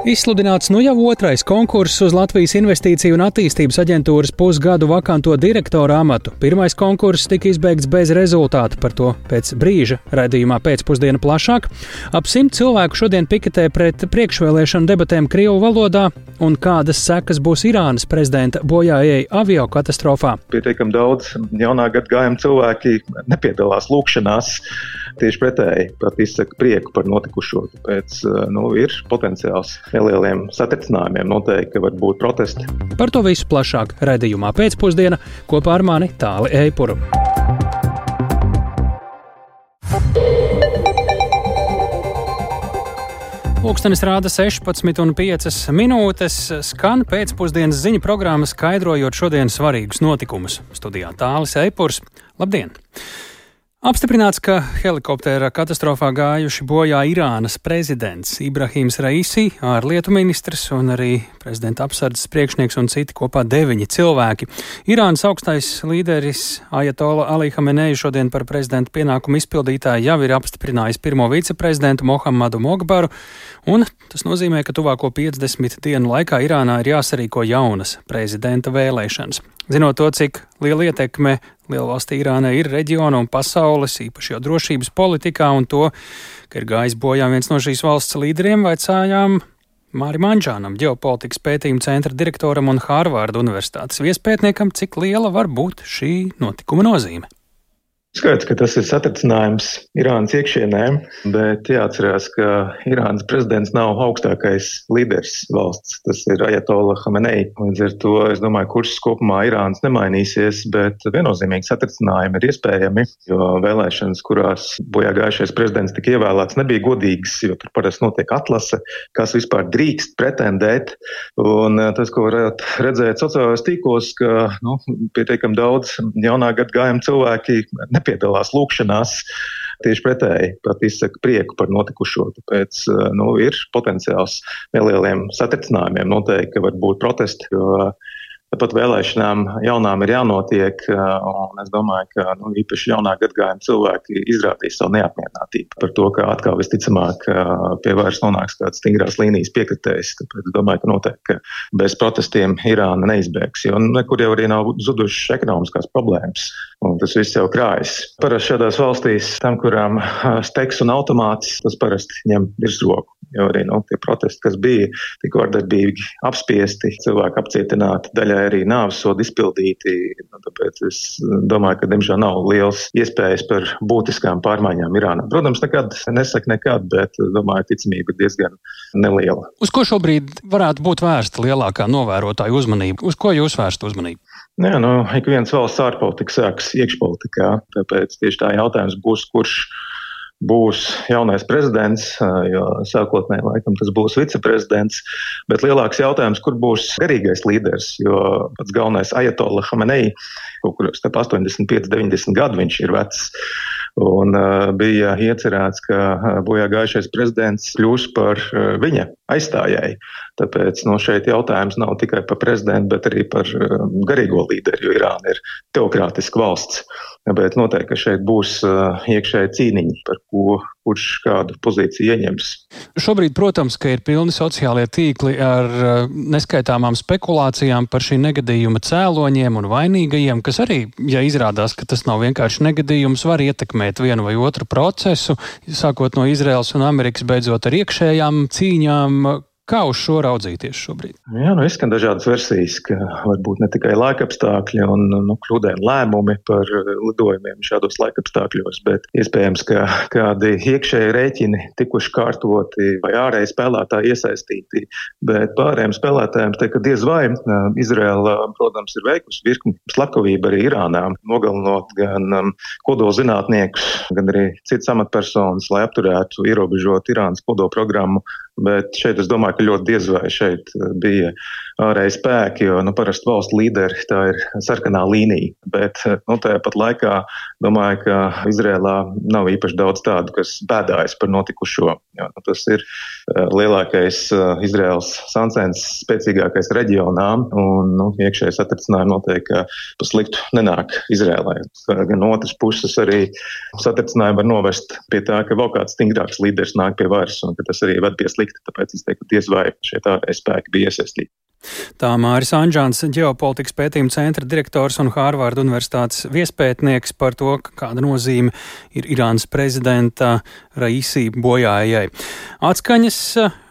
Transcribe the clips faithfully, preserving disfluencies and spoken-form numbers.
Izsludināts nu jau otrais konkurss uz Latvijas Investīciju un attīstības aģentūras pusgadu vakanto direktora amatu. Pirmais konkurss tika izbeigts bez rezultāta, par to pēc brīža raidījumā pēcpusdiena plašāk. Ap simt cilvēku šodien piketē pret priekšvēlēšanu debatēm krievu valodā, un kādas sekas būs Irānas prezidenta bojājēji avio katastrofā. Pietiekami daudz jaunā gadagājuma cilvēki nepiedalās lūkšanās, tieši pretēji, pat izsaka prieku par notikušo, tāpēc nu, ir potenciāls nelieliem satricinājumiem, noteikti, ka var būt protesti. Par to visu plašāk raidījumā pēcpusdiena kopā ar mani Tāli Eipuru. Pulkstenis rāda sešpadsmit un piecas minūtes, skan pēcpusdienas ziņu programma skaidrojot šodien svarīgus notikumus. Studijā Tālis Eipurs. Labdien! Apstiprināts, ka helikoptera katastrofā gājuši bojā Irānas prezidents Ibrahims Raisi, ārlietu ministrs un arī prezidenta apsardzes priekšnieks un citi kopā deviņi cilvēki. Irānas augstais līderis Ajatola Ali Hamenei šodien par prezidenta pienākumu izpildītāju jau ir apstiprinājis pirmo viceprezidentu Mohammadu Mogbaru, un tas nozīmē, ka tuvāko piecdesmit dienu laikā Irānā ir jāsarīko jaunas prezidenta vēlēšanas. Zinot to, cik liela ietekme lielvalstī Irānai ir reģiona un pasaules, īpaši jau drošības politikā, un to, ka ir gājis bojā viens no šīs valsts līderiem, vaicājām Mārim Anžānam, ģeopolitikas pētījuma centra direktoram un Hārvarda universitātes viespētniekam, cik liela var būt šī notikuma nozīme. Skaidrs, ka tas ir satricinājums Irānas iekšienē, bet jāatcerās, ka Irānas prezidents nav augstākais līderis valsts. Tas ir Ajatola Hamenei. Līdz ar to, es domāju, kurs kopumā Irānas nemainīsies, bet viennozīmīgi satricinājumi ir iespējami, jo vēlēšanas, kurās bojā gājušais prezidents tika ievēlēts, nebija godīgas, jo tur parasti notiek atlase, kas vispār drīkst pretendēt. Un tas, ko varētu redzēt sociālajos tīklos, ka nu, pietiekami daudz jaunā gadagājuma cilvēki nepiedalās lūkšanās, tieši pretēji, pat izsaka prieku par notikušo. Tāpēc nu, ir potenciāls nelieliem satricinājumiem, noteikti, ka var būt protesti, jo pat vēlēšanām jaunām ir jānotiek, un es domāju, ka nu, īpaši jaunā gadagājuma cilvēki izrādīs savu neapmierinātību par to, ka atkal visticamāk pie vairs nonāks kāds stingrās līnijas piekritējs. Tāpēc es domāju, ka noteikti, ka bez protestiem Irāna neizbēgs, jo nekur jau arī nav zudušas ekonomiskās problēmas, un tas viss jau krājas. Parasti šādās valstīs, tam, kurām steiks un automāts, tas parasti ņem virsroku, jo arī nu, tie protesti, kas bija, tik vardarbīgi apspiesti, cilvēki apcietināti, daļai arī nāvessodu izpildīti. Tāpēc es domāju, ka diemžēl nav liels iespējas par būtiskām pārmaiņām Irānā. Protams, nekad nesaka nekad, bet domāju, ticamība ir diezgan neliela. Uz ko šobrīd varētu būt vērsta lielākā novērotāju uzmanība? Uz ko jūs vērsta uzmanību? Jā, nu, ik viens valsts ārpolitika sākas iekšpolitikā, tāpēc tieši tā jautājums būs, kurš būs jaunais prezidents, jo sākotnēji laikam tas būs viceprezidents, bet lielāks jautājums, kur būs garīgais līderis, jo pats galvenais Ajatola Hamenei, kaut kur starp astoņdesmit pieci deviņdesmit gadu viņš ir vecs, un uh, bija iecerēts, ka uh, bojā gājušais prezidents kļūs par uh, viņa aizstājēju. Tāpēc no šeit jautājums nav tikai par prezidentu, bet arī par uh, garīgo līderi, jo Irāna ir teokrātiska valsts. Bet noteikti, ka šeit būs uh, iekšēji cīniņi, par ko kurš kādu pozīciju ieņems. Šobrīd, protams, ka ir pilni sociālie tīkli ar uh, neskaitāmām spekulācijām par šī negadījuma cēloņiem un vainīgajiem, kas arī, ja izrādās, ka tas nav vienkārši negadījums, var ietekmēt vienu vai otru procesu, sākot no Izraels un Amerikas, beidzot ar iekšējām cīņām. Kā uz šo raudzīties šobrīd? Jā, nu izskan dažādas versijas, ka varbūt ne tikai laikapstākļi un nu, kļūdaini lēmumi par lidojumiem šādos laikapstākļos, bet iespējams, ka kādi iekšēji rēķini tikuši kārtoti vai ārēji spēlētāji iesaistīti, bet pārējiem spēlētājiem te, ka diez vai Izraela, protams, ir veikusi virkni slepkavību arī Irānā, nogalinot gan um, kodolzinātniekus, gan arī citas amatpersonas, lai apturētu, ierobežot Irānas kodolprogrammu. Bet šeit es domāju, ka ļoti diez vai šeit bija ārēji spēki, jo nu, parasti valsts līderi tā ir sarkanā līnija. Bet nu, tāpat laikā domāju, ka Izrēlā nav īpaši daudz tādu, kas bēdājas par notikušo. Jo, nu, tas ir lielākais Izraels sancens spēcīgākais reģionā, un nu, iekšēji satricinājumi noteikti pa sliktu nenāk Izrēlai. Gan otras puses arī satricinājumi var novest pie tā, ka vēl kāds stingrāks līderis nāk pie varas, un ka tas arī ved pie slikta, tāpēc es teiktu, diez vai šie ārējie spēki bija iesaistīti. Tā Māris Anžāns, ģeopolitikas pētījuma centra direktors un Hārvarda universitātes viespētnieks par to, kāda nozīme ir Irānas prezidenta Raisi bojājai. Atskaņas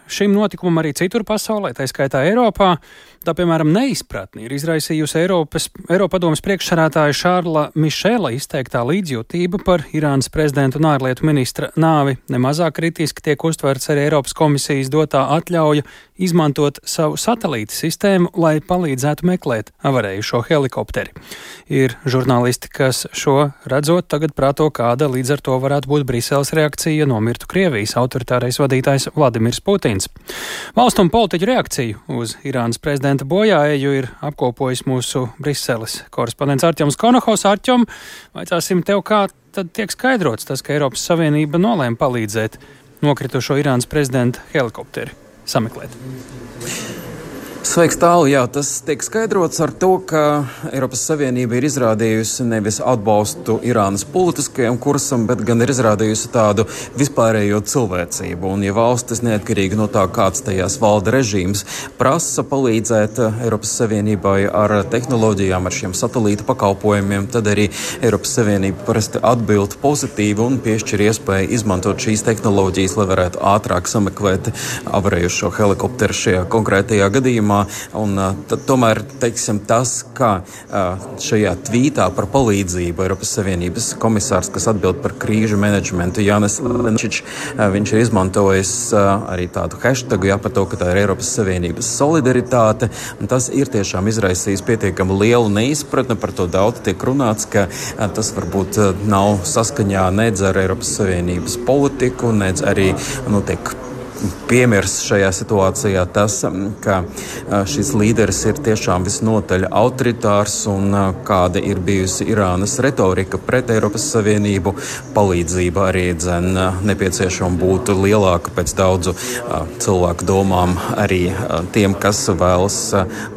šim notikumam arī citur pasaulē, tā skaitā Eiropā. Tā, piemēram, neizpratni ir izraisījusi Eiropas, Eiropadomes priekšsarētāja Šārla Mišela izteiktā līdzjūtība par Irānas prezidenta un ārlietu ministra nāvi. Nemazāk kritiski tiek uztverts arī Eiropas komisijas dotā atļauja izmantot savu satelīta sistēmu, lai palīdzētu meklēt avarējušo helikopteri. Ir žurnālisti, kas šo redzot tagad prāto, kāda līdz ar to varētu būt Briseles reakcija nomirtu Krievijas autoritārais vadītājs Vladimirs Putins. Valstu un politiķu reakciju uz Irānas prezidenta bojāeju ir apkopojis mūsu Briseles korespondents Artjoms Konohovs. Artjom, vaicāsim tev, kā tad tiek skaidrots tas, ka Eiropas Savienība nolēma palīdzēt nokritušo Irānas prezidenta helikopteri sameklēt? Sveiks, Tāli! Jā, tas tiek skaidrots ar to, ka Eiropas Savienība ir izrādījusi nevis atbalstu Irānas politiskajam kursam, bet gan ir izrādījusi tādu vispārējo cilvēcību. Un, ja valstis neatkarīgi no tā, kāds tajās valda režīms, prasa palīdzēt Eiropas Savienībai ar tehnoloģijām, ar šiem satelīta pakalpojumiem, tad arī Eiropas Savienība parasti atbild pozitīvi un piešķir iespēju izmantot šīs tehnoloģijas, lai varētu ātrāk sameklēt avarējušo helikopteru šajā konkrētajā gadījumā. Un, tad, tomēr, teiksim, tas, ka šajā tvītā par palīdzību Eiropas Savienības komisārs, kas atbild par krīžu menedžmentu, Jānis Lenčičs, viņš ir izmantojis arī tādu hashtagu, jā, par to, ka tā ir Eiropas Savienības solidaritāte, un tas ir tiešām izraisījis pietiekami lielu neizpratni, par to daudz tiek runāts, ka tas varbūt nav saskaņā nedz ar Eiropas Savienības politiku, nedz arī, nu, tiek piemirs šajā situācijā tas, ka šis līderis ir tiešām visnotaļ autoritārs un kāda ir bijusi Irānas retorika pret Eiropas Savienību. Palīdzība arī dzen nepieciešama būtu lielāka pēc daudzu cilvēku domām, arī tiem, kas vēlas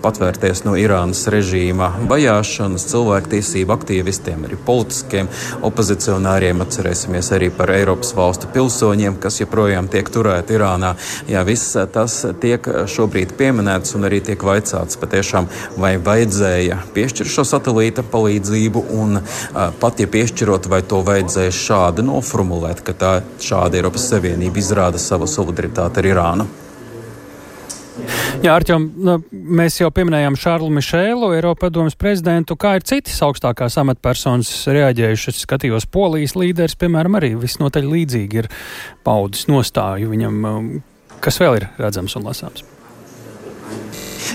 patvērties no Irānas režīma vajāšanas, cilvēktiesību aktīvistiem, arī politiskiem opozicionāriem. Atcerēsimies arī par Eiropas valstu pilsoņiem, kas joprojām tiek turēti Irānā. Jā, viss tas tiek šobrīd pieminēts un arī tiek vaicāts patiešām, vai vajadzēja piešķirt šo satelīta palīdzību un pat, ja piešķirot, vai to vajadzēja šādi noformulēt, ka tā šāda Eiropas Savienība izrāda savu solidaritāti ar Irānu. Jā, Artjom, mēs jau pieminējām Šārlu Mišelu, Eiropadomes prezidentu. Kā ir citas augstākās amatpersonas reaģējušas? Skatījos, Polijas līderis, piemēram, arī visnotaļ līdzīgi ir paudis nostāju viņam. Kas vēl ir redzams un lasāms?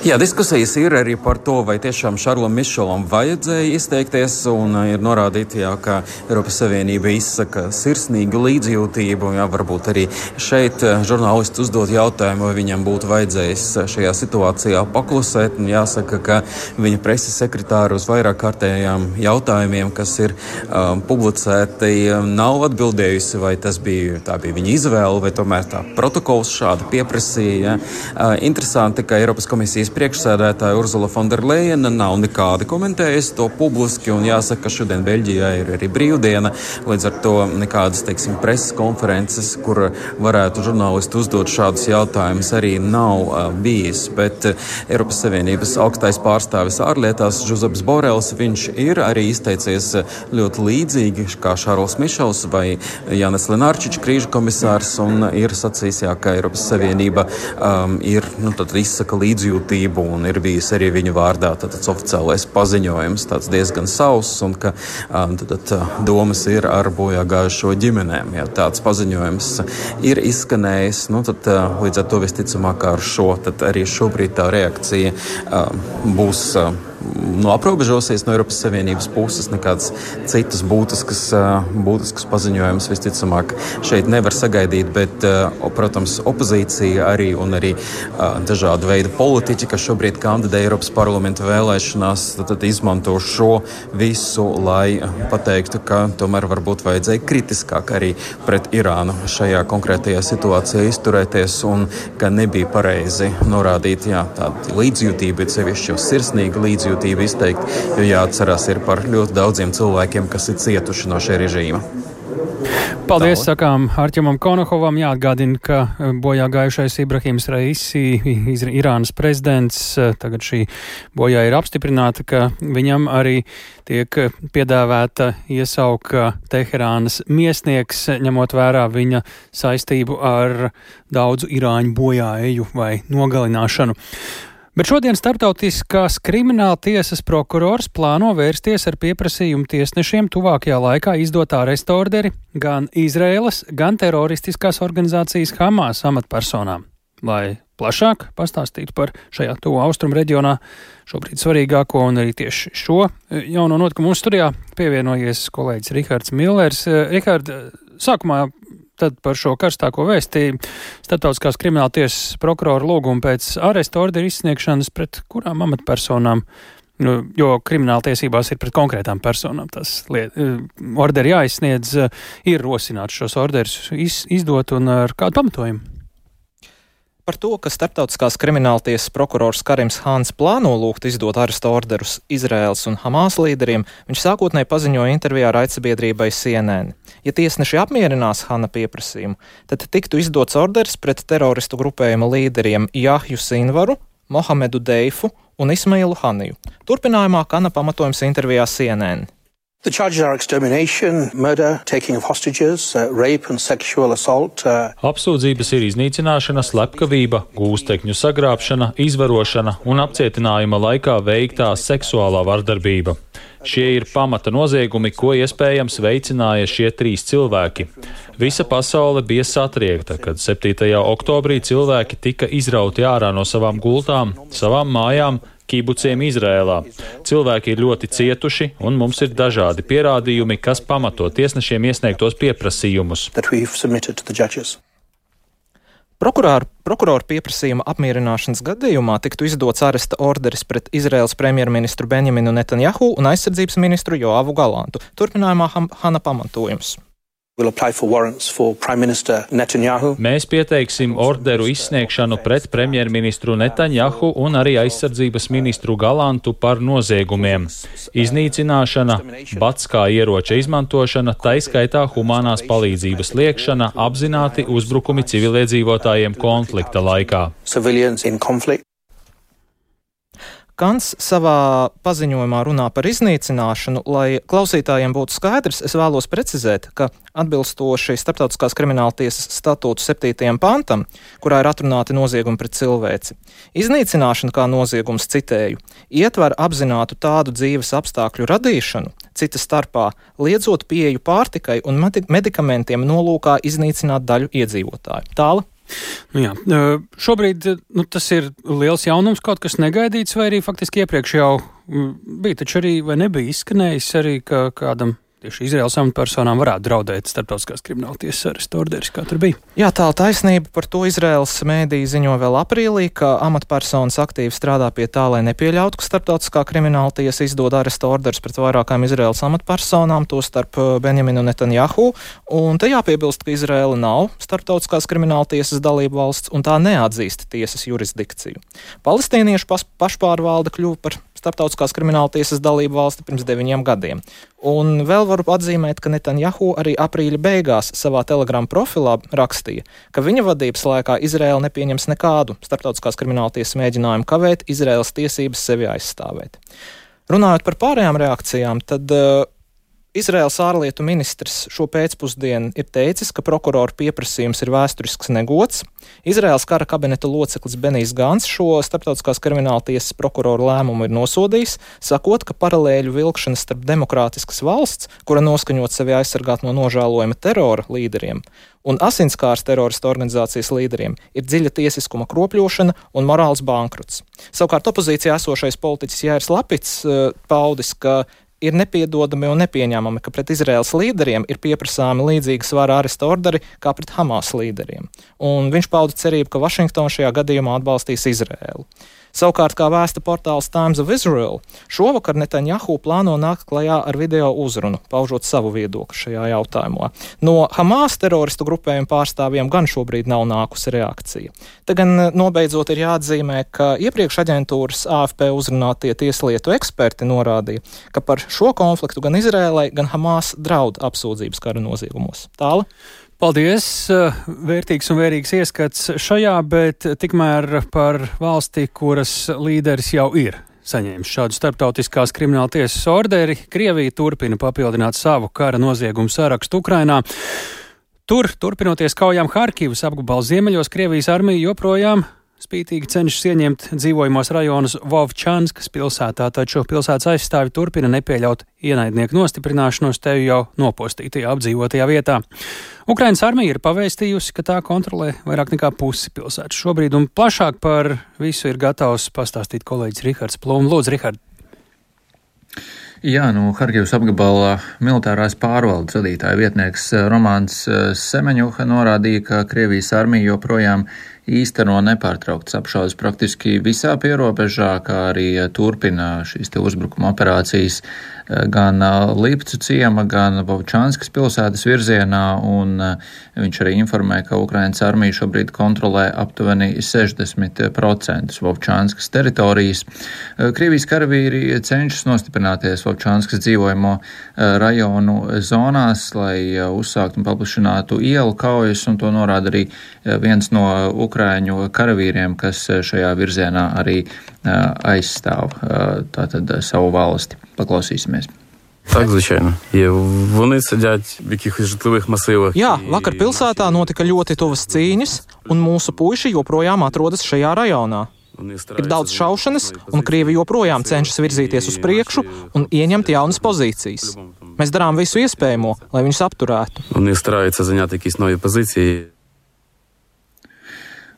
Jā, diskusijas ir arī par to, vai tiešām Šarlam Mišelam vajadzēja izteikties, un ir norādīti, jā, ka Eiropas Savienība izsaka sirsnīgu līdzjūtību. Jā, varbūt arī šeit žurnālisti uzdot jautājumu, vai viņam būtu vajadzējis šajā situācijā paklusēt. Un jāsaka, ka viņa preses sekretāra uz vairāk kārtējām jautājumiem, kas ir um, publicēti, nav atbildējusi, vai tas bija, tā bija viņa izvēle, vai tomēr tā protokols šādi pieprasīja. Uh, interesanti, ka Eiropas komisijas priekšsēdētāja Urzula Fonderlejena nav nekādi komentējusi to publiski, un jāsaka, ka šodien Beļģijā ir arī brīvdiena, līdz ar to nekādas, teiksim, preses konferences, kur varētu žurnālisti uzdot šādus jautājumus, arī nav uh, bijis, bet uh, Eiropas Savienības augstais pārstāvis ārlietās Žuzeps Borels, viņš ir arī izteicies ļoti līdzīgi kā Šārls Mišels vai Jānis Lenārčičs, krīžu komisārs, un ir sacījis, jā, ka Eiropas Savienība um, ir, nu, tad izsaka līdzjūtību, un ir bijis arī viņu vārdā tāds oficiālais paziņojums, tāds diezgan sauss, un ka um, tad, domas ir ar bojā gājušo ģimenēm. Ja tāds paziņojums ir izskanējis, nu, tad uh, līdz ar to visticamāk ar šo, tad arī šobrīd tā reakcija uh, būs uh, nu, aprobežosies no Eiropas Savienības puses, nekāds citas būtiskas, būtiskas paziņojumus visticamāk šeit nevar sagaidīt, bet, protams, opozīcija arī un arī dažādu veidu politiķi, kas šobrīd kandidē Eiropas parlamenta vēlēšanās, tad, tad izmanto šo visu, lai pateiktu, ka tomēr varbūt vajadzēja kritiskāk arī pret Irānu šajā konkrētajā situācijā izturēties un ka nebija pareizi norādīt, jā, tāda līdzjūtība, bet sevišķi jau sirsnīga līdzjūtība izteikt, jo jāatcerās ir par ļoti daudziem cilvēkiem, kas ir cietuši no šī režīma. Paldies, sakām Arķemam Konohovam. Jāatgādina, ka bojā gājušais Ibrahims Raisi, Irānas prezidents, tagad šī bojā ir apstiprināta, ka viņam arī tiek piedāvēta iesauka Teherānas miesnieks, ņemot vērā viņa saistību ar daudzu irāņu bojāeju vai nogalināšanu. Bet šodien Starptautiskās krimināla tiesas prokurors plāno vērsties ar pieprasījumu tiesnešiem tuvākajā laikā izdot ārestu orderi gan Izraēlas, gan teroristiskās organizācijas Hamas amatpersonām. Lai plašāk pastāstītu par šajā tuvu austrumu reģionā šobrīd svarīgāko un arī tieši šo jauno notikumu mūsu studijā pievienojies kolēģis Rihards Millers. Rihard, sākumā tad par šo karstāko vēsti Starptautiskās krimināla tiesas prokurora lūgumu pēc ārestu orderu izsniegšanas pret kurām amatpersonām, nu, jo krimināla tiesībās ir pret konkrētām personām. Tas liet, orderi jāizsniedz, ir rosināts šos orderus iz, izdot un ar kādu pamatojumu. Par to, ka Starptautiskās krimināltiesas prokurors Karims Hāns plāno lūgt izdot arestu orderus Izraēlas un Hamas līderiem, viņš sākotnēji paziņoja intervijā raidsabiedrībai C N N. Ja tiesneši apmierinās Hana pieprasījumu, tad tiktu izdots orders pret teroristu grupējuma līderiem Jahju Sinvaru, Mohamedu Deifu un Ismailu Haniju. Turpinājumā Hana pamatojums intervijā C N N. The charges are extermination, murder, taking of hostages, uh, rape and sexual assault. Uh... Apsūdzības ir iznīcināšana, slepkavība, gūstekņu sagrābšana, izvarošana un apcietinājuma laikā veiktā seksuālā vardarbība. Šie ir pamata noziegumi, ko iespējams veicināja šie trīs cilvēki. Visa pasaule bija satriekta, kad septītajā oktobrī cilvēki tika izrauti ārā no savām gultām, savām mājām, kibuciem Izrēlā. Cilvēki ir ļoti cietuši, un mums ir dažādi pierādījumi, kas pamato tiesnešiem iesniegtos pieprasījumus. Prokurāru, prokuroru pieprasījuma apmierināšanas gadījumā tiktu izdots aresta orderis pret Izraēlas premjerministru Benjaminu Netanjahu un aizsardzības ministru Joavu Galantu. Turpinājumā Hana pamatojums. Mēs pieteiksim orderu izsniegšanu pret premjerministru Netanjahu un arī aizsardzības ministru Galantu par noziegumiem. Iznīcināšana, bats kā ieroča izmantošana, taiskaitā humanās palīdzības liekšana, apzināti uzbrukumi civiliedzīvotājiem konflikta laikā. Kants savā paziņojumā runā par iznīcināšanu. Lai klausītājiem būtu skaidrs, es vēlos precizēt, ka atbilstoši Starptautiskās krimināltiesas statūtu septītajam pantam, kurā ir atrunāti noziegumi pret cilvēci, iznīcināšana kā noziegums, citēju, ietver apzinātu tādu dzīves apstākļu radīšanu, cita starpā liedzot pieeju pārtikai un medikamentiem nolūkā iznīcināt daļu iedzīvotāju. Tāla. Nu jā, šobrīd nu, tas ir liels jaunums, kaut kas negaidīts, vai arī faktiski iepriekš jau bija, taču arī vai nebija izskanējis arī, ka kādam tieši Izraēlas amatpersonām varētu draudēt Starptautiskās krimināltiesas arestu orderis, kā tur bija. Jā, tā taisnība, par to Izraēlas mēdīji ziņo vēl aprīlī, ka amatpersonas aktīvi strādā pie tā, lai nepieļautu, ka Starptautiskā krimināltiesa izdod arestu orderis pret vairākām Izraēlas amatpersonām, to starp Benjaminu Netanjahu, un te jāpiebilst, ka Izraēla nav Starptautiskās krimināltiesas dalība valsts, un tā neatzīst tiesas jurisdikciju. Palestīniešu pašpārvalde kļuva par Starptautiskās krimināltiesas dalību valsti pirms deviņiem gadiem. Un vēl varu atzīmēt, ka Netanjahu arī aprīļa beigās savā Telegram profilā rakstīja, ka viņa vadības laikā Izraēla nepieņems nekādu Starptautiskās krimināltiesas mēģinājumu kavēt Izraēlas tiesības sevi aizstāvēt. Runājot par pārējām reakcijām, tad uh, Izraēlas ārlietu ministrs šo pēcpusdienu ir teicis, ka prokuroru pieprasījums ir vēsturisks negods. Izraēlas kara kabineta loceklis Benijs Gants šo starptautiskās krimināla tiesas prokuroru lēmumu ir nosodījis, sakot, ka paralēļu vilkšana starp demokrātiskas valsts, kura noskaņot sevi aizsargāt no nožēlojuma terora līderiem, un asinskārs terorista organizācijas līderiem ir dziļa tiesiskuma kropļošana un morāls bankrots. Savukārt opozīcijā esošais politiķis Jāirs Lapits uh, paudis, ka ir nepiedodami un nepieņēmami, ka pret Izraēlas līderiem ir pieprasāmi līdzīgi svara aresta orderi kā pret Hamas līderiem. Un viņš pauda cerību, ka Vašingtona šajā gadījumā atbalstīs Izraēlu. Savukārt, kā vēsta portāls Times of Israel, šovakar Netanjahu plāno nākt klajā ar video uzrunu, paužot savu viedokli šajā jautājumā. No Hamas teroristu grupējuma pārstāvjiem gan šobrīd nav nākusi reakcija. Te gan nobeidzot ir jāatzīmē, ka iepriekš aģentūras A F P uzrunātie tieslietu eksperti norādīja, ka par šo konfliktu gan Izrēlai, gan Hamas draud apsūdzības kara noziegumos. Tāla? Paldies! Vērtīgs un vērīgs ieskats šajā, bet tikmēr par valsti, kuras līderis jau ir saņēmis šādu starptautiskās krimināla tiesas orderi. Krievija turpina papildināt savu kara noziegumu sarakstu Ukrainā. Tur, turpinoties kaujām Harkivas apgabala ziemeļos, Krievijas armija joprojām spītīgi cenšas ieņemt dzīvojamos rajonus Vovčanskas pilsētā, taču pilsētas aizstāvi turpina nepieļaut ienaidnieku nostiprināšanos te jau nopostītajā apdzīvotajā vietā. Ukrainas armija ir pavēstījusi, ka tā kontrolē vairāk nekā pusi pilsētas šobrīd, un plašāk par visu ir gatavs pastāstīt kolēģis Rihards Plūm. Lūdzu, Rihard! Jā, no Harkivas apgabala militārās pārvaldes vadītāja vietnieks Romāns Semeņuha norādīja, ka Krievijas armija joprojām īsteno nepārtrauktas apšaudes praktiski visā pierobežā, kā arī turpina šīs te uzbrukuma operācijas gan Lipcu ciema, gan Vovčanskas pilsētas virzienā, un viņš arī informē, ka Ukrainas armija šobrīd kontrolē aptuveni sešdesmit procent Vovčanskas teritorijas. Krievijas karavīri cenšas nostiprināties Vovčanskas dzīvojamo rajonu zonās, lai uzsāktu un paplašinātu ielu kaujas, un to norāda arī viens no Ukraiņu karavīriem, kas šajā virzienā arī aizstāv tātad savu valsti. Paklausīsimies. Так, звичайно. Є. Вони сидять в якихось житлових масивах. Jā, vakar pilsētā notika ļoti tuvas cīņas, un mūsu puiši joprojām atrodas šajā rajonā. Ir daudz šaušanas, un Krievi joprojām cenšas virzīties uz priekšu un ieņemt jaunas pozīcijas. Mēs darām visu iespējamo, lai viņus apturētu. Вони стараються зайняти якісь нові позиції.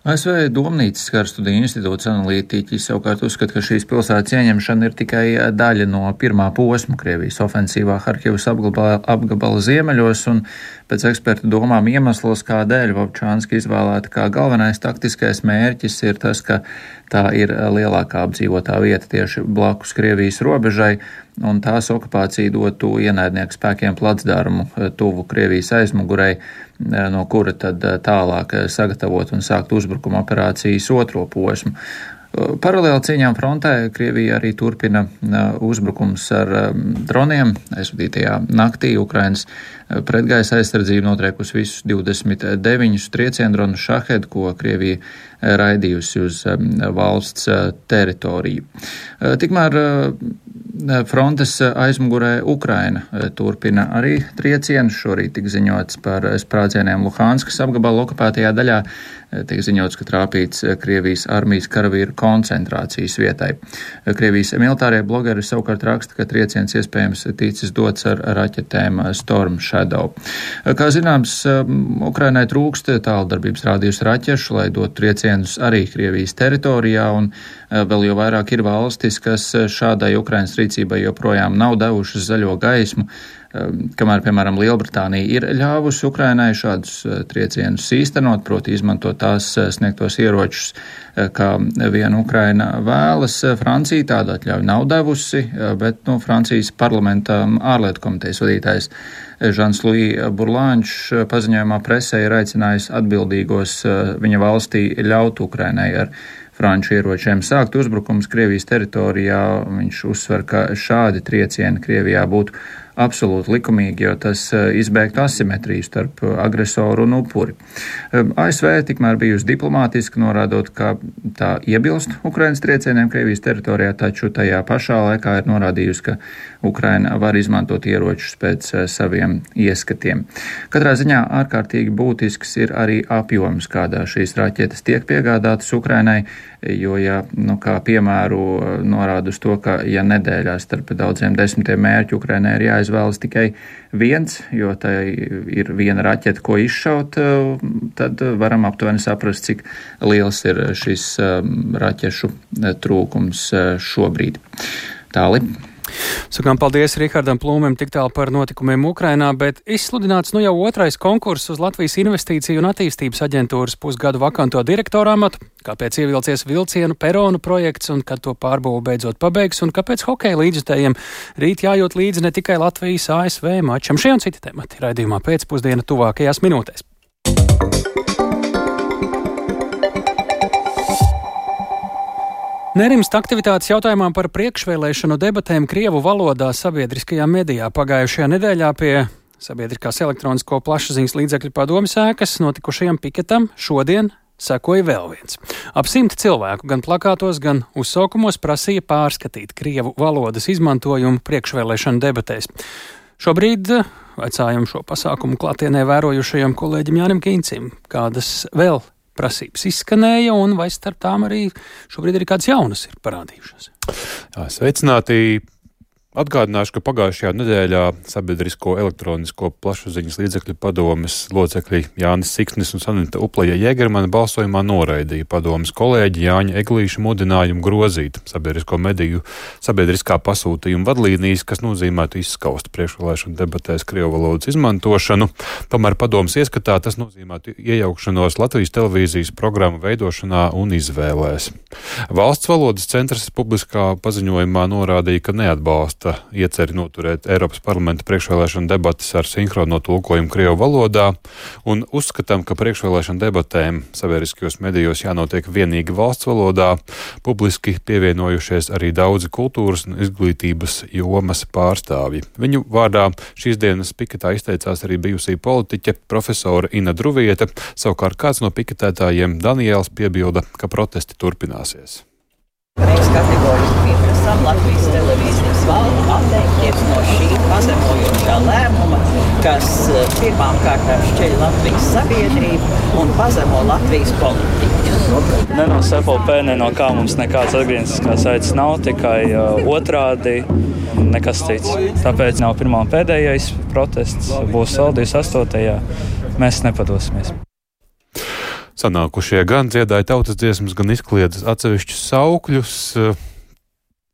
A S V Domnīcas kara studiju institūts analītiķi savukārt uzskata, ka šīs pilsētas ieņemšana ir tikai daļa no pirmā posma Krievijas ofensīvā Harkivas apgabala, apgabala ziemeļos, un pēc ekspertu domām iemeslos, kādēļ Vovčanska izvēlēta kā galvenais taktiskais mērķis, ir tas, ka tā ir lielākā apdzīvotā vieta tieši blakus Krievijas robežai, un tās okupācija dotu ienaidnieku spēkiem placdarmu tuvu Krievijas aizmugurei, no kura tad tālāk sagatavot un sākt uzbrukuma operācijas otro posmu. Paralēli cīņām frontē Krievija arī turpina uzbrukums ar droniem. Aizvadītajā naktī Ukrainas pretgaisa aizsardzība notriekusi visus divdesmit deviņus trieciendronus Šahed, ko Krievija raidījusi uz valsts teritoriju. Tikmēr frontes aizmugurē Ukraina turpina arī triecienus. Šorīt tika ziņots par sprādzieniem Luhanskas apgabala okupētajā daļā. Tiek ziņots, ka trāpīts Krievijas armijas karavīru koncentrācijas vietai. Krievijas militārie blogeri savukārt raksta, ka trieciens iespējams ticis dots ar raķetēm Storm Shadow. Kā zināms, Ukrainai trūkst tāldarbības rādījus raķešu, lai dotu triecienus arī Krievijas teritorijā, un vēl jau vairāk ir valstis, kas šādai Ukrainas rīcībai joprojām nav devušas zaļo gaismu, kamēr, piemēram, Lielbritānija ir ļāvusi Ukrainai šādus triecienus īstenot, proti izmantot tās sniegtos ieročus, kā viena Ukraina vēlas. Francija tādu atļauju nav devusi, bet, nu, Francijas parlamenta ārlietu komitejas vadītājs Žans-Luī Burlāņš paziņojumā presē ir aicinājis atbildīgos viņa valstī ļaut Ukrainai ar franču ieročiem sākt uzbrukums Krievijas teritorijā. Viņš uzsver, ka šādi triecieni Krievijā būtu absolūti likumīgi, jo tas izbēgtu asimetriju starp agresoru un upuri. A S V tikmēr bijusi diplomātiski, norādot, ka tā iebilst Ukrainas triecieniem Krievijas teritorijā, taču tajā pašā laikā ir norādījusi, ka Ukraina var izmantot ieročus pēc saviem ieskatiem. Katrā ziņā ārkārtīgi būtisks ir arī apjoms, kādā šīs raķetes tiek piegādātas Ukrainai, jo, ja, nu, kā piemēru norāda uz to, ka, ja nedēļā starp daudziem desmitiem mērķu Ukrainai ir jāizvēlas tikai viens, jo tai ir viena raķeta, ko izšaut, tad varam aptuveni saprast, cik liels ir šis raķešu trūkums šobrīd. Tāli. Sakām paldies Rihardam Plūmēm tik tālu par notikumiem Ukrainā, bet izsludināts nu jau otrais konkurss uz Latvijas Investīciju un attīstības aģentūras pusgadu vakanto direktoru amatu, kāpēc ievilcies vilcienu peronu projekts un kad to pārbūve beidzot pabeigs un kāpēc hokeja līdzjutējiem rīt jājūt līdzi ne tikai Latvijas A S V mačam. Šie un citi temati raidījumā pēcpusdiena tuvākajās minūtēs. Nerimst aktivitātes jautājumā par priekšvēlēšanu debatēm krievu valodā sabiedriskajā medijā. Pagājušajā nedēļā pie Sabiedriskās elektronisko plašsaziņas līdzekļu padomes ēkas notikušajam piketam šodien sekoja vēl viens. Ap simti cilvēku gan plakātos, gan uzsaukumos prasīja pārskatīt krievu valodas izmantojumu priekšvēlēšanu debatēs. Šobrīd vaicājam šo pasākumu klātienē vērojušajam kolēģim Jānim Kīncim, kādas vēl prasības izskanēja, un vai starp tām arī šobrīd arī kādas jaunas ir parādījušās. Jā, sveicināti! Atgādināšu, ka pagājušajā nedēļā Sabiedrisko elektronisko plašsaziņas līdzekļu padomes locekļi Jānis Siksnis un Sanita Uplaja Jēgermana balsojumā noraidīja padomes kolēģi Jāņa Eglīša mudinājumu grozīt sabiedrisko mediju sabiedriskā pasūtījuma vadlīnijas, kas nozīmētu izskaust priekšvēlēšanu debatēs krievu valodas izmantošanu. Tomēr padomes ieskatā tas nozīmētu iejaukšanos Latvijas televīzijas programmu veidošanā un izvēlēs. Valsts valodas centrs publiskā paziņojumā norādīja, ka neatbalsta ieceri noturēt Eiropas parlamenta priekšvēlēšanu debatas ar sinhrono tulkojumu krievu valodā un uzskatām, ka priekšvēlēšanu debatēm sabiedriskajos medijos jānotiek vienīgi valsts valodā, publiski pievienojušies arī daudzi kultūras un izglītības jomas pārstāvji. Viņu vārdā šīs dienas piketā izteicās arī bijusī politiķe profesora Ina Druvieta, savukārt kāds no piketētājiem Daniēls piebilda, ka protesti turpināsies. Mēs kategoriski pieprasām Latvijas televīzijas valdi atteikties no šī pazemojošā lēmuma, kas pirmām kārtām šķeļ Latvijas sabiedrību un pazemo Latvijas politiķus. Ne no S F L P, ne no kā mums nekāds atgriezniskās saites nav, tikai uh, otrādi nekas cits. Tāpēc nav pirmā un pēdējais protests, būs vēl divdesmit astotajā Mēs nepadosimies. Sanākušie gan dziedāja tautas dziesmas, gan izkliedza atsevišķus saukļus,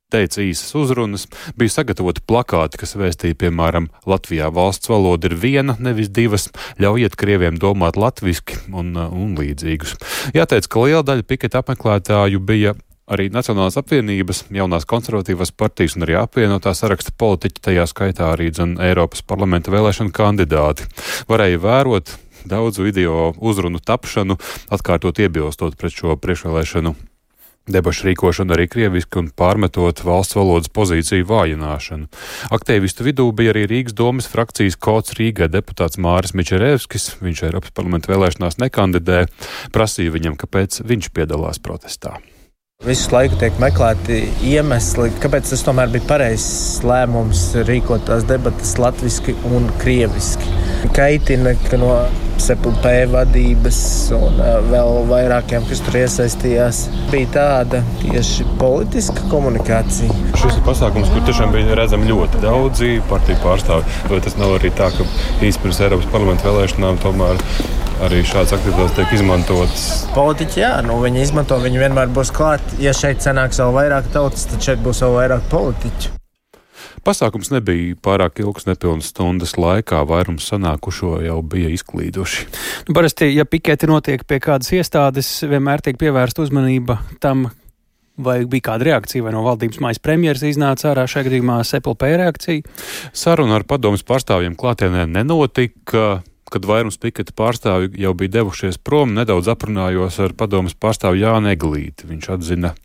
teica īsas uzrunas, bija sagatavoti plakāti, kas vēstīja, piemēram, Latvijā valsts valoda ir viena, nevis divas, ļaujiet krieviem domāt latviski un, un līdzīgus. Jāteic, ka liela daļa piketa apmeklētāju bija arī Nacionālās apvienības, jaunās konservatīvās partijas un arī apvienotā saraksta politiķi, tajā skaitā arī dzen Eiropas parlamenta vēlēšanu kandidāti. Varēja vērot daudzu video uzrunu tapšanu, atkārtot iebilstot pret šo priekšvēlēšanu debašu rīkošanu arī krieviski un pārmetot valsts valodas pozīciju vājināšanu. Aktīvistu vidū bija arī Rīgas domes frakcijas kods Rīgai deputāts Māris Mičerevskis, viņš Eiropas parlamenta vēlēšanās nekandidē, prasīja viņam, kāpēc viņš piedalās protestā. Visu laiku tiek meklēti iemesli, kāpēc tas tomēr bija pareizs lēmums rīkot tās debatas latviski un krieviski. Kaitina, ka no S F L P vadības un vēl vairākiem, kas tur iesaistījās, bija tāda tieši politiska komunikācija. Šis ir pasākums, kur tiešām bija redzami ļoti daudzi partiju pārstāvi. Vai tas nav arī tā, ka īsti pirms Eiropas parlamenta vēlēšanām tomēr arī šāds aktivitātes tiek izmantotas? Politiķi, jā, nu viņi izmanto, viņi vienmēr būs klāt. Ja šeit sanāks vēl vairāk tautas, tad šeit būs vēl vairāk politiķu. Pasākums nebija pārāk ilgs, nepilnas stundas laikā, vairums sanākušo jau bija izklīduši. Nu, parasti, ja piketi notiek pie kādas iestādes, vienmēr tiek pievērsta uzmanība tam, Vai bija kāda reakcija, vai no valdības mājas premjeras iznāca ārā šajā gadījumā S P P reakcija? Saruna ar padomes pārstāvjiem klātienē nenotika. Kad vairums piketa pārstāvji jau bija devušies prom, nedaudz aprunājos ar padomes pārstāvu Jānu Eglīti. Viņš atzina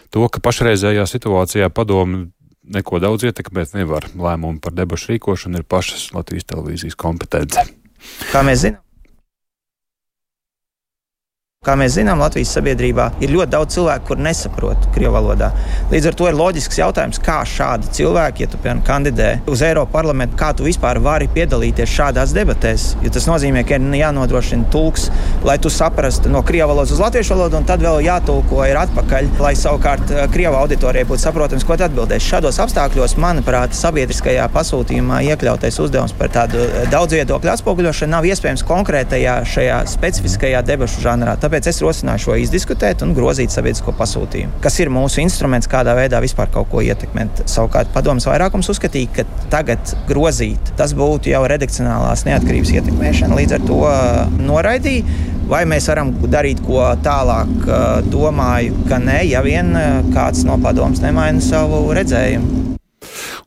to, ka pašreizējā situācijā padomi neko daudz ietekmēt nevar. Lēmumu par debašu rīkošanu ir pašas Latvijas televīzijas kompetence. Kā mēs zinām? Kā mēs zinām, Latvijas sabiedrībā ir ļoti daudz cilvēku, kur nesaprot krievu valodā. Līdz ar to ir loģisks jautājums, kā šādi cilvēki, ja tu piemēram kandidē uz Eiropas parlamentu, kā tu vispār vari piedalīties šādās debatēs. Jo tas nozīmē, ka ir jānodrošina tulks, lai tu saprastu no krievu valodas uz latviešu valodu, un tad vēl jātulko ir atpakaļ, lai savukārt krievu auditorijai būtu saprotams, ko tu atbildēsi. Šādos apstākļos, manuprāt, sabiedriskajā pasūtījumā iekļautais uzdevums par tādu daudzviedokļu atspoguļošanu nav iespējams konkrētajā šajā specifiskajā debašu žanrā. Tāpēc es rosināju šo izdiskutēt un grozīt sabiedrisko pasūtījumu, kas ir mūsu instruments, kādā veidā vispār kaut ko ietekmēt. Savukārt padomes vairākums uzskatīja, ka tagad grozīt, tas būtu jau redakcionālās neatkarības ietekmēšana, līdz ar to noraidīja. Vai mēs varam darīt ko tālāk, domāju, ka nē, ja vien kāds no padomes nemaina savu redzējumu.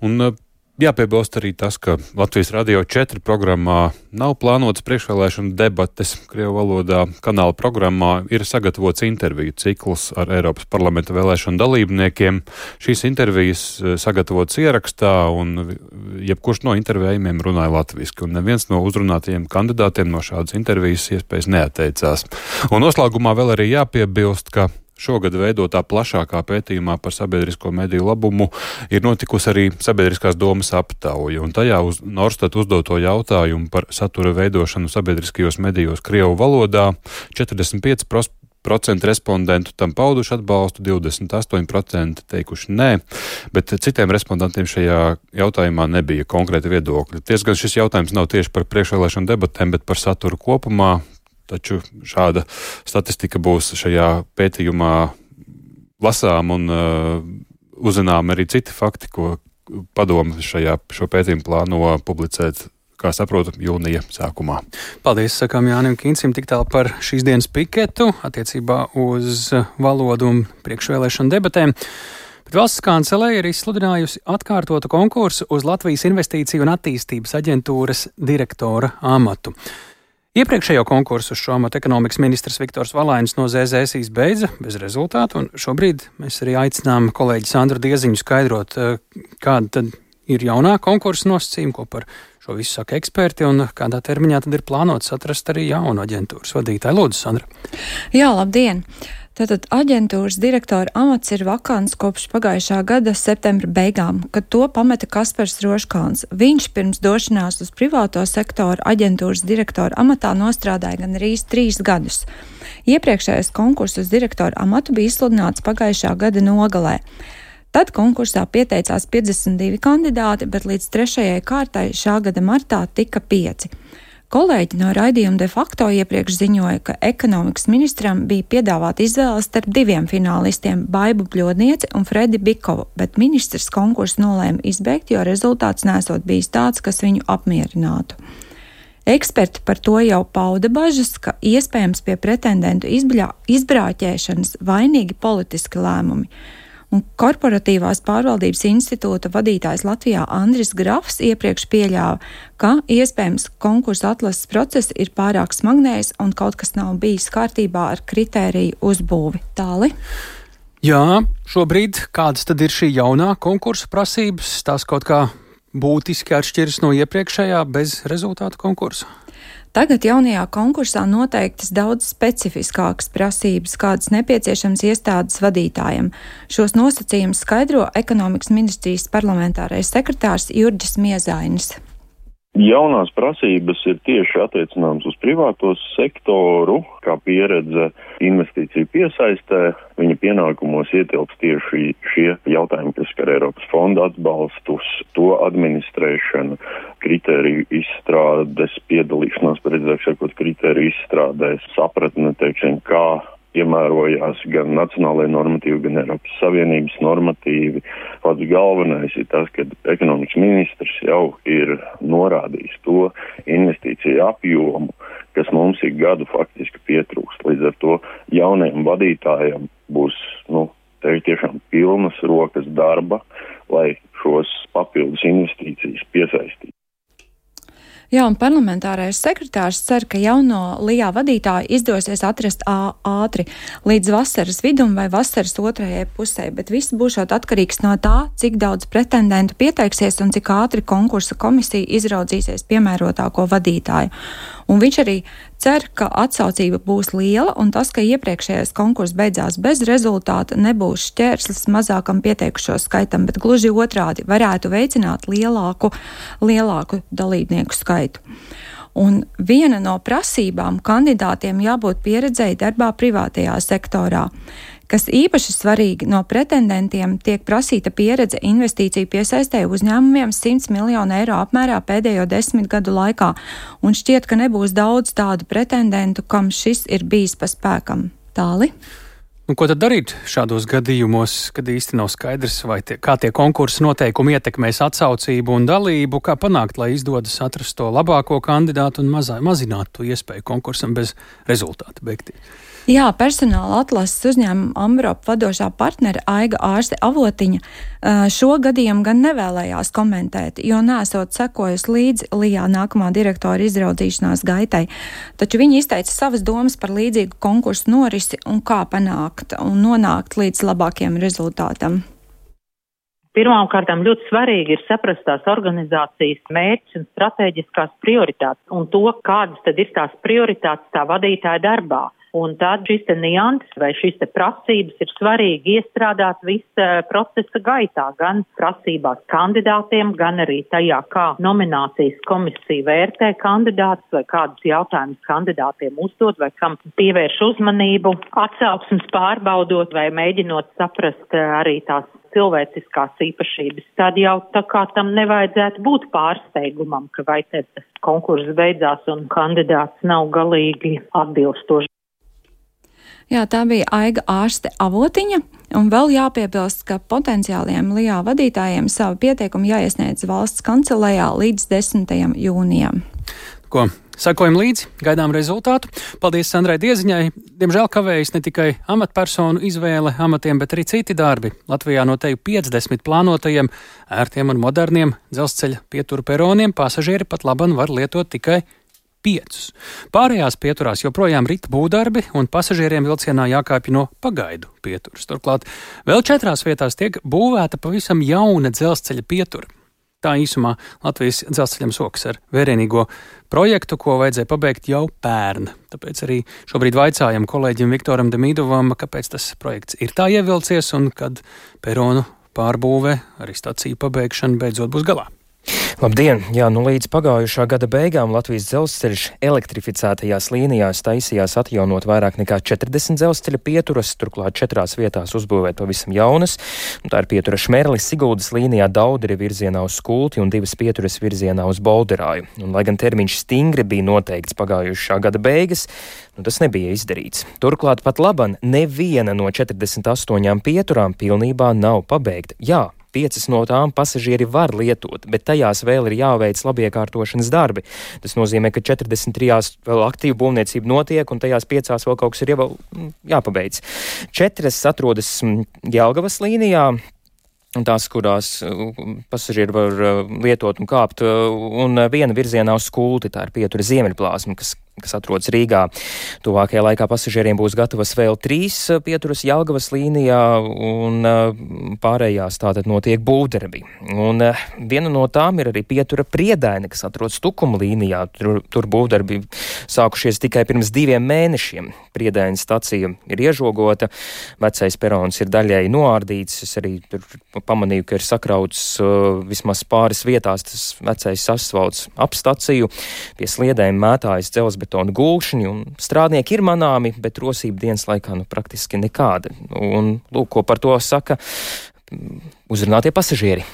Un jāpiebilst arī tas, ka Latvijas Radio četri programmā nav plānotas priekšvēlēšana debates krievu valodā. Kanāla programmā ir sagatavots interviju cikls ar Eiropas parlamenta vēlēšanu dalībniekiem. Šīs intervijas sagatavotas ierakstā, un jebkurš no intervējumiem runāja latviski, un neviens no uzrunātajiem kandidātiem no šādas intervijas iespējas neatteicās. Un noslēgumā vēl arī jāpiebilst, ka šogad veidotā plašākā pētījumā par sabiedrisko mediju labumu ir notikusi arī sabiedriskās domas aptauja, un tajā uz Norstat uzdoto jautājumu par satura veidošanu sabiedriskajos medijos krievu valodā četrdesmit pieci procenti respondentu tam pauduši atbalstu, divdesmit astoņi procenti teikuši nē, bet citiem respondentiem šajā jautājumā nebija konkrēti viedokļi. Tiesgan šis jautājums nav tieši par priekšvēlēšanu debatēm, bet par saturu kopumā. Taču šāda statistika būs šajā pētījumā lasām un uh, uzzinām arī citi fakti, ko padome šajā šo pētījumu plāno publicēt, kā saprotu, jūnija sākumā. Paldies, sakām Jānim Kīncim, tik tālu par šīs dienas piketu attiecībā uz valodu un priekšvēlēšanu debatēm. Bet valsts kanceleja ir izsludinājusi atkārtotu konkursu uz Latvijas Investīciju un attīstības aģentūras direktora amatu. Iepriekšējo konkursu uz šo amatu ekonomikas ministrs Viktors Valainis no Z Z S izbeidza bez rezultātu, un šobrīd mēs arī aicinām kolēģi Sandru Dieziņu skaidrot, kāda tad ir jaunā konkursa nosacījuma, ko par šo visu saka eksperti, un kādā termiņā tad ir plānots atrast arī jaunu aģentūras vadītāju. Lūdzu, Sandra. Jā, labdien! Tātad aģentūras direktora amats ir vakants kopš pagājušā gada septembra beigām, kad to pameta Kaspars Roškalns. Viņš pirms došanās uz privāto sektoru aģentūras direktora amatā nostrādāja gan arī trīs gadus. Iepriekšējais konkurss uz direktora amatu bija izsludināts pagājušā gada nogalē. Tad konkursā pieteicās piecdesmit divi kandidāti, bet līdz trešajai kārtai šā gada martā tika pieci. Kolēģi no raidījuma de facto iepriekš ziņoja, ka ekonomikas ministram bija piedāvāta izvēle starp diviem finālistiem - Baibu Bļodnieci un Fredi Bikovu, bet ministrs konkursu nolēma izbeigt, jo rezultāts nesot bijis tāds, kas viņu apmierinātu. Eksperti par to jau pauda bažas, ka iespējams pie pretendentu izbļā, izbrāķēšanas vainīgi politiski lēmumi. Un Korporatīvās pārvaldības institūta vadītājs Latvijā Andris Grafs iepriekš pieļāva, ka iespējams konkursa atlases process ir pārāk smagnējs un kaut kas nav bijis kārtībā ar kritēriju uzbūvi. Tāli? Jā, šobrīd kādas tad ir šī jaunā konkursa prasības? Tās kaut kā būtiski atšķiras no iepriekšējā bez rezultātu konkursa? Tagad jaunajā konkursā noteiktas daudz specifiskākas prasības, kādas nepieciešams iestādes vadītājiem. Šos nosacījumus skaidro ekonomikas ministrijas parlamentārais sekretārs Jurģis Miezainis. Jaunās prasības ir tieši attiecināmas uz privāto sektoru, kā pieredze investīciju piesaistē. Viņa pienākumos ietilps tieši šie jautājumi, kas skar Eiropas fonda atbalstus, to administrēšanu, kritēriju izstrādes, piedalīšanās, precīzāk sakot, kritēriju izstrādēs, sapratne, teiksim, kā piemērojās gan nacionālajie normatīvi, gan Eiropas Savienības normatīvi. Pats galvenais ir tas, ka ekonomikas ministrs jau ir norādījis to investīciju apjomu, kas mums ik gadu faktiski pietrūkst. Līdz ar to jaunajam vadītājam būs, nu, te ir tiešām pilnas rokas darba, lai šos papildus investīcijas piesaistītu. Jā, un parlamentārais sekretārs cer, ka jauno Lijā vadītāju izdosies atrast ātri līdz vasaras vidum vai vasaras otrajai pusē, bet viss būšot atkarīgs no tā, cik daudz pretendentu pieteiksies un cik ātri konkursa komisija izraudzīsies piemērotāko vadītāju. Un viņš arī cer, ka atsaucība būs liela un tas, ka iepriekšējais konkurss beidzās bez rezultāta, nebūs šķērslis mazākam pieteikušo skaitam, bet gluži otrādi varētu veicināt lielāku, lielāku dalībnieku skaitu. Un viena no prasībām kandidātiem jābūt pieredzēji darbā privātajā sektorā. Kas īpaši svarīgi, no pretendentiem tiek prasīta pieredze investīciju piesaistē uzņēmumiem simts miljonu eiro apmērā pēdējo desmit gadu laikā, un šķiet, ka nebūs daudz tādu pretendentu, kam šis ir bijis pa spēkam. Tāli? Nu, ko tad darīt šādos gadījumos, kad īsti nav skaidrs, vai tie, kā tie konkursa noteikumi ietekmēs atsaucību un dalību, kā panākt, lai izdodas atrast to labāko kandidātu un mazā, mazināt to iespēju konkursam bez rezultāta beigties? Jā, personāla atlases uzņēmuma Ambrop vadošā partnere Aiga Ārste Avotiņa šo gadījumu gan nevēlējās komentēt, jo nesot sekojusi līdzi Lijā nākamā direktora izraudzīšanās gaitai. Taču viņa izteica savas domas par līdzīgu konkursu norisi un kā panākt un nonākt līdz labākiem rezultātam. Pirmām kārtām ļoti svarīgi ir saprast tās organizācijas mērķus un stratēģiskās prioritātes un to, kādas tad ir tās prioritātes tā vadītāja darbā. Un tad šis te nianses vai šis te prasības ir svarīgi iestrādāt visa procesa gaitā, gan prasībās kandidātiem, gan arī tajā, kā nominācijas komisija vērtē kandidātus vai kādus jautājumus kandidātiem uzdot vai kam pievērš uzmanību, atsauksmes pārbaudot vai mēģinot saprast arī tās cilvēciskās īpašības. Tad jau tā kā tam nevajadzētu būt pārsteigumam, ka vai te tas konkurss beidzās un kandidāts nav galīgi atbilstoši. Jā, tā bija Aiga Ārste Avotiņa, un vēl jāpiebilst, ka potenciāliem Lijā vadītājiem savu pieteikumu jāiesniedz valsts kancelējā līdz desmitajam jūnijam. Ko? Sakojam līdzi, gaidām rezultātu. Paldies Sandrai Dieziņai. Diemžēl kavējas ne tikai amatpersonu izvēle amatiem, bet arī citi darbi. Latvijā no teju piecdesmit plānotajiem, ērtiem un moderniem dzelzceļa pietura peroniem pasažieri pat laban var lietot tikai piecus. Pārējās pieturās joprojām rita būvdarbi un pasažieriem vilcienā jākāpj no pagaidu pieturas. Turklāt vēl četrās vietās tiek būvēta pavisam jauna dzelzceļa pietura. Tā īsumā Latvijas dzelzceļam sokas ar vērienīgo projektu, ko vajadzēja pabeigt jau pērn. Tāpēc arī šobrīd vaicājam kolēģim Viktoram Demīdovam, kāpēc tas projekts ir tā ievilcies un kad peronu pārbūve, arī staciju pabeigšana beidzot būs galā. Labdien! Jā, nu līdz pagājušā gada beigām Latvijas dzelzceļš elektrificētajās līnijās taisījās atjaunot vairāk nekā četrdesmit dzelzceļa pieturas, turklāt četrās vietās uzbūvēt pavisam jaunas. Tā ir pietura Šmerlis Siguldas līnijā Dauderi virzienā uz Skulti un divas pieturas virzienā uz Bolderāju. Un, lai gan termiņš stingri bija noteikts pagājušā gada beigas, nu tas nebija izdarīts. Turklāt pat laban neviena no četrdesmit astoņām pieturām pilnībā nav pabeigta. Jā, piecas no tām pasažieri var lietot, bet tajās vēl ir jāveic labiekārtošanas darbi. Tas nozīmē, ka četrdesmit trijās vēl aktīva būvniecība notiek, un tajās piecās vēl kaut kas ir jau jāpabeidz. Četras atrodas Jelgavas līnijā, tās, kurās pasažieri var lietot un kāpt, un viena virzienā uz Skulti, tā ir pietura Ziemeļplāsma, kas kas atrodas Rīgā. Tuvākajā laikā pasažieriem būs gatavas vēl trīs pieturas Jelgavas līnijā, un pārējās tātad notiek būvdarbi. Un viena no tām ir arī pietura Priedaine, kas atrodas Tukuma līnijā. Tur, tur būvdarbi sākušies tikai pirms diviem mēnešiem. Priedainas stacija ir iežogota, vecais perons ir daļēji noārdīts. Es arī tur pamanīju, ka ir sakrauts uh, vismaz pāris vietās tas vecais asfalts ap staciju. Pie sliedēm mētājas dzelzs betona gulšņi, un strādnieki ir manāmi, bet rosība dienas laikā nu praktiski nekāda. Un lūk, ko par to saka uzrunātie pasažieri.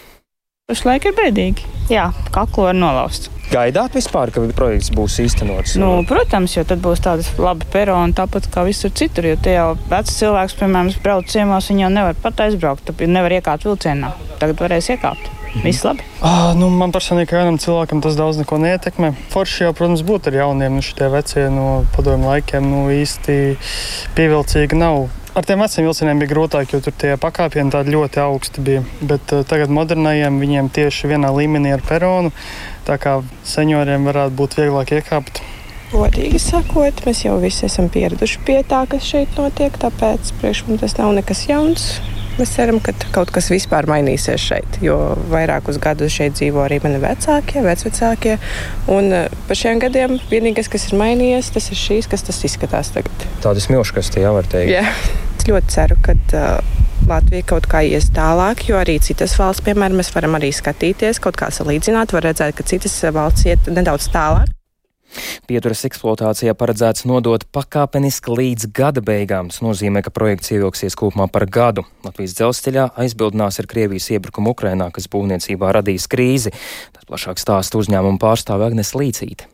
Pašlaik ir bēdīgi. Jā, kaklu var nolaust. Gaidāt vispār, ka projekts būs īstenots? Nu, protams, jo tad būs tādas labi peroni, tāpat kā visur citur, jo te jau vecs cilvēks, piemēram, brauc ciemās, viņi jau nevar pat aizbraukt, tad nevar iekāpt vilcienā. Tagad varēs iekāpt. Mhm. Viss labi. Ah, nu, man personīgi vienam cilvēkam tas daudz neko neietekmē. Forši jau, protams, būtu ar jauniem, nu šitie vecie no padomju laikiem, nu īsti pievilcīgi nav. Ar tiem veciem vilcieniem bija grūtāk, jo tur tie pakāpieni tādi ļoti augsti bija. Bet uh, tagad modernajiem viņiem tieši vienā līmenī ar peronu, tā kā senioriem varētu būt vieglāk iekāpt. Godīgi sakot, mēs jau visi esam pieraduši pie tā, kas šeit notiek, tāpēc priekš mums tas nav nekas jauns. Mēs ceram, ka kaut kas vispār mainīsies šeit, jo vairākus gadus šeit dzīvo arī mani vecākie, vecvecākie. Un par šiem gadiem vienīgais, kas ir mainījies, tas ir šīs, kas tas izskatās tagad. Tādas milškas, tie jā, var teikt. Jā, es ļoti ceru, ka uh, Latvija kaut kā ies tālāk, jo arī citas valsts, piemēram, mēs varam arī skatīties, kaut kā salīdzināt, var redzēt, ka citas valsts iet nedaudz tālāk. Pieturas eksploatācijā paredzēts nodot pakāpeniski līdz gada beigām. Tas nozīmē, ka projekts ievilksies kopumā par gadu. Latvijas dzelzceļā aizbildinās ar Krievijas iebrukumu Ukrainā, kas būvniecībā radīs krīzi. Tas plašāk stāsta uzņēmuma pārstāve Agnes Līcīte.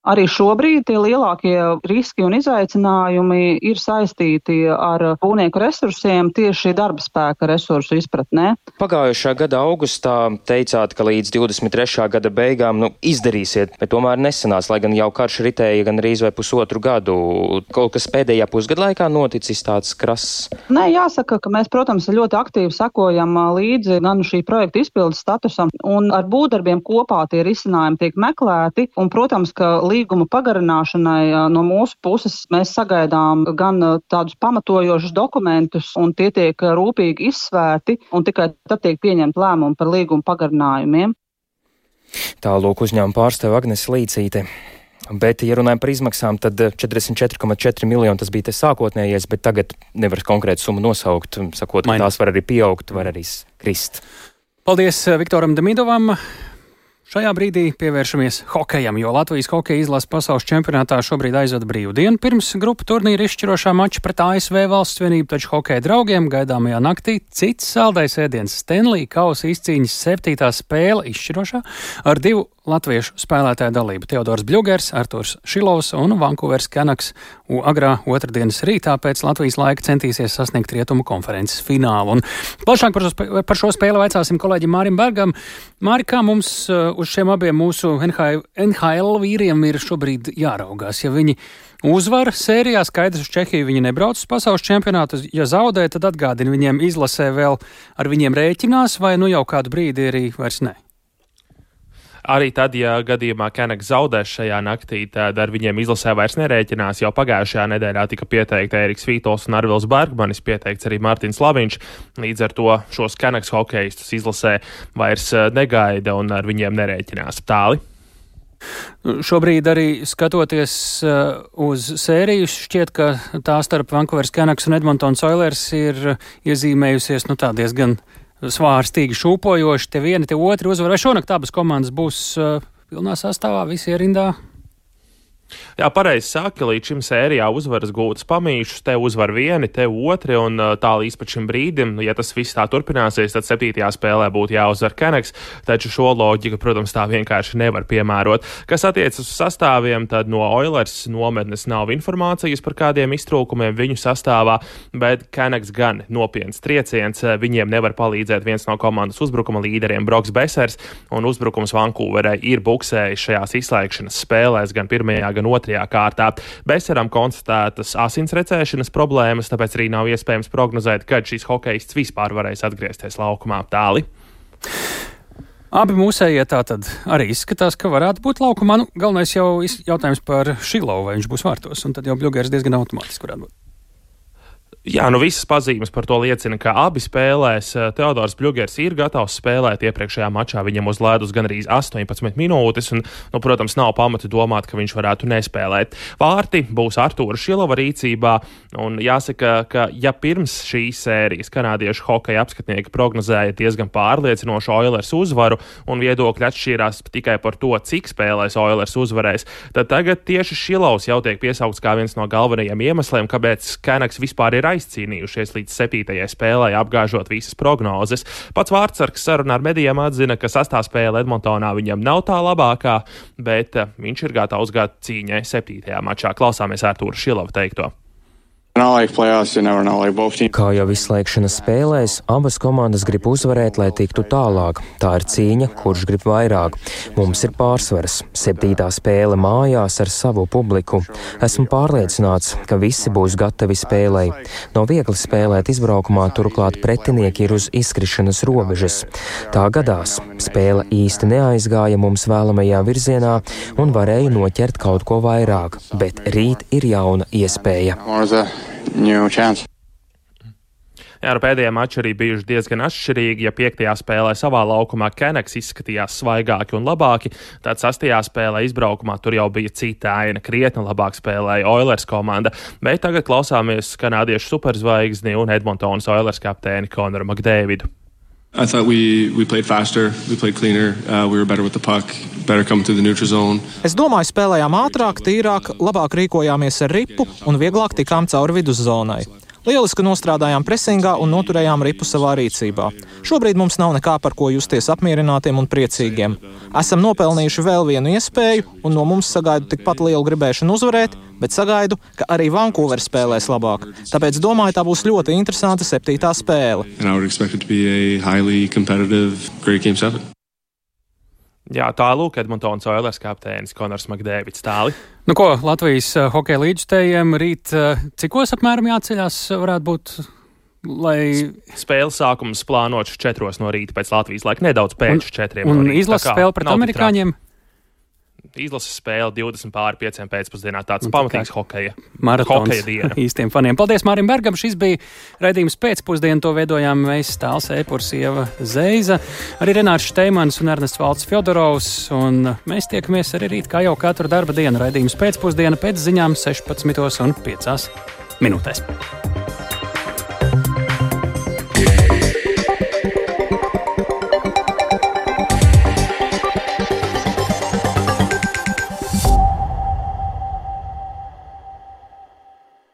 Arī šobrīd tie lielākie riski un izaicinājumi ir saistīti ar būvnieku resursiem, tieši darba spēka resursu izpratnē. Pagājušā gada augustā teicāt, ka līdz divdesmit trešā gada beigām nu, izdarīsiet, bet tomēr nesanās, lai gan jau karš ritēja gan rīz vai pusotru gadu. Kaut kas pēdējā pusgada laikā noticis tāds krass? Nē, jāsaka, ka mēs, protams, ļoti aktīvi sekojam līdzi gan šī projekta izpildes statusam, un ar būvdarbiem kopā tie risinājumi tiek meklēti, un, protams, ka līguma pagarināšanai no mūsu puses mēs sagaidām gan tādus pamatojošus dokumentus, un tie tiek rūpīgi izsvērti, un tikai tad tiek pieņemt lēmumu par līguma pagarinājumiem. Tālūk uzņēmuma pārstāve Agnes Līcīte. Bet, ja runājam par izmaksām, tad četrdesmit četri komats četri miljoni tas bija te sākotnējais, bet tagad nevar konkrētu summu nosaukt, sakot, ka tās var arī pieaugt, var arī krist. Paldies Viktoram Demidovam. Šajā brīdī pievēršamies hokejam, jo Latvijas hokeja izlases pasaules čempionātā šobrīd aizvada brīvdienu pirms grupu turnīra izšķirošā mača pret A S V valsts vienību, taču hokeja draugiem gaidāmajā naktī cits saldais ēdiens Stanley kausa izcīņas septītā spēle izšķirošā ar divu latviešu spēlētāju dalību. Teodors Bļugers, Arturs Šilovs un Vankūveras Canucks agrā otrdienas rītā pēc Latvijas laika centīsies sasniegt rietumu konferences finālu. Un plašāk par šo, par šo spēli vaicāsim kolēģim Mārim Bergam. Māri, kā mums uz šiem abiem mūsu N H L vīriem ir šobrīd jāraugās? Ja viņi uzvar sērijā, skaidrs uz Čehiju viņi nebrauc uz pasaules čempionātu, ja zaudē, tad atgādina viņiem izlasē vēl ar viņiem rēķinās, vai nu jau kādu brīdi arī vairs ne? Arī tad, ja gadījumā Canucks zaudēs šajā naktī, tad ar viņiem izlasē vairs nerēķinās. Jau pagājušajā nedēļā tika pieteikti Eriks Vītols un Arvils Bergmanis, pieteikts arī Mārtiņš Laviņš. Līdz ar to šos Canucks hokejistus izlasē vairs negaida un ar viņiem nerēķinās. Tāli? Šobrīd arī skatoties uh, uz sēriju, šķiet, ka tā starp Vancouveras Canucks un Edmontons Oilers ir iezīmējusies nu tā diezgan svārstīgi šūpojoši, te vieni, te otri uzvar. Vai šonakt abas komandas būs uh, pilnā sastāvā, visi ierindā? Jā, pareizi saka, līdz šim sērijā uzvaras gūtas pamīšus, te uzvar vieni, te otri, un tā līdz pat šim brīdim, ja tas viss tā turpināsies, tad septītajā spēlē būtu jāuzvar Canucks, taču šo loģiku, protams, tā vienkārši nevar piemērot. Kas attiecas uz sastāviem, tad no Oilers nometnes nav informācijas par kādiem iztrūkumiem viņu sastāvā, bet Canucks gan nopietns trieciens, viņiem nevar palīdzēt viens no komandas uzbrukuma līderiem Broks Besers, un uzbrukums Vancouverai ir buksējis šajās izslēgšanas spēlēs gan pirmajā, gan otrajā kārtā. Beseram konstatētas asins recēšanas problēmas, tāpēc arī nav iespējams prognozēt, kad šis hokejists vispār varēs atgriezties laukumā. Tāli. Abi mūsējie tātad arī izskatās, ka varētu būt laukumā. Nu, galvenais jau jautājums par Šilovu, vai viņš būs vārtos, un tad jau Bļugers diezgan automātiski varētu būt. Jā, nu visas pazīmes par to liecina, ka abi spēlēs. Teodors Bļugers ir gatavs spēlēt. Iepriekšējā mačā viņam uz ledus gan arī astoņpadsmit minūtes, un, nu, protams, nav pamata domāt, ka viņš varētu nespēlēt. Vārti būs Artūra Šilova rīcībā, un jāsaka, ka ja pirms šīs sērijas kanādiešu hokeja apskatnieki prognozēja diezgan pārliecinošu Oilers uzvaru, un viedokļi atšķīrās tikai par to, cik spēlēs Oilers uzvarēs, tad tagad tieši Šilovs jau tiek piesaukts kā viens no galvenajiem iemesliem, kāpēc Canucks vispār ir aizcīnījušies līdz septītajai spēlē, apgāžot visas prognozes. Pats Vārtsargs sarunā ar medijiem atzina, ka sastā spēle Edmontonā viņam nav tā labākā, bet viņš ir gatavs gāt cīņai septītajā mačā. Klausāmies Artūra Šilova teikto. Kā jau izslēgšanas spēlēs, abas komandas grib uzvarēt, lai tiktu tālāk. Tā ir cīņa, kurš grib vairāk. Mums ir pārsvars. Septītā spēle mājās ar savu publiku. Esmu pārliecināts, ka visi būs gatavi spēlei. Nav viegli spēlēt izbraukumā, turklāt pretinieki ir uz izkrišanas robežas. Tā gadās. Spēle īsti neaizgāja mums vēlamajā virzienā un varēja noķert kaut ko vairāk, bet rīt ir jauna iespēja. Jā, ar pēdējiem mači arī bijuši diezgan atšķirīgi. Ja piektajā spēlē savā laukumā Keneks izskatījās svaigāki un labāki, tad sastajā spēlē izbraukumā tur jau bija cita aina, krietni labāk spēlēja Oilers komanda. Bet tagad klausāmies kanādiešu superzvaigzni un Edmontonas Oilers kapteini Konoru Makdēvidu. I thought we, we played faster, we played cleaner, uh, we were better with the puck, better coming through the neutral zone. Es domāju, spēlējām ātrāk, tīrāk, labāk rīkojāmies ar ripu un vieglāk tikām cauri viduszonai. Lieliski nostrādājām presingā un noturējām ripu savā rīcībā. Šobrīd mums nav nekā par ko justies apmierinātiem un priecīgiem. Esam nopelnījuši vēl vienu iespēju un no mums sagaidu tikpat lielu gribēšanu uzvarēt, bet sagaidu, ka arī Vancouver spēlēs labāk. Tāpēc domāju, tā būs ļoti interesanta septītā spēle. Jā, tā lūk Edmontonas Oilers kapteinis Konors Makdēvids. Tāli. Nu ko, Latvijas uh, hokeja līdzstējiem rīt uh, cikos apmēram jāceļās varētu būt, lai... Spēles sākums plānots četros no rīta pēc Latvijas laika, nedaudz pēc četriem no rīta. Un izlases spēle pret amerikāņiem? Izlases spēle divdesmit pāri pieciem pēcpusdienā. Tāds pamatīgs hokeja. Maratons hokeja diena. Īstiem faniem. Paldies Mārim Bergam. Šis bija raidījums pēcpusdienu. To veidojām mēs Tāls Eipurs, Ieva Zeiza, arī Renārs Šteimans un Ernests Valds Fjodorovs. Un mēs tiekamies arī rīt, kā jau katru darba dienu. Raidījums pēcpusdiena pēc ziņām sešpadsmitos un piecās minūtēs.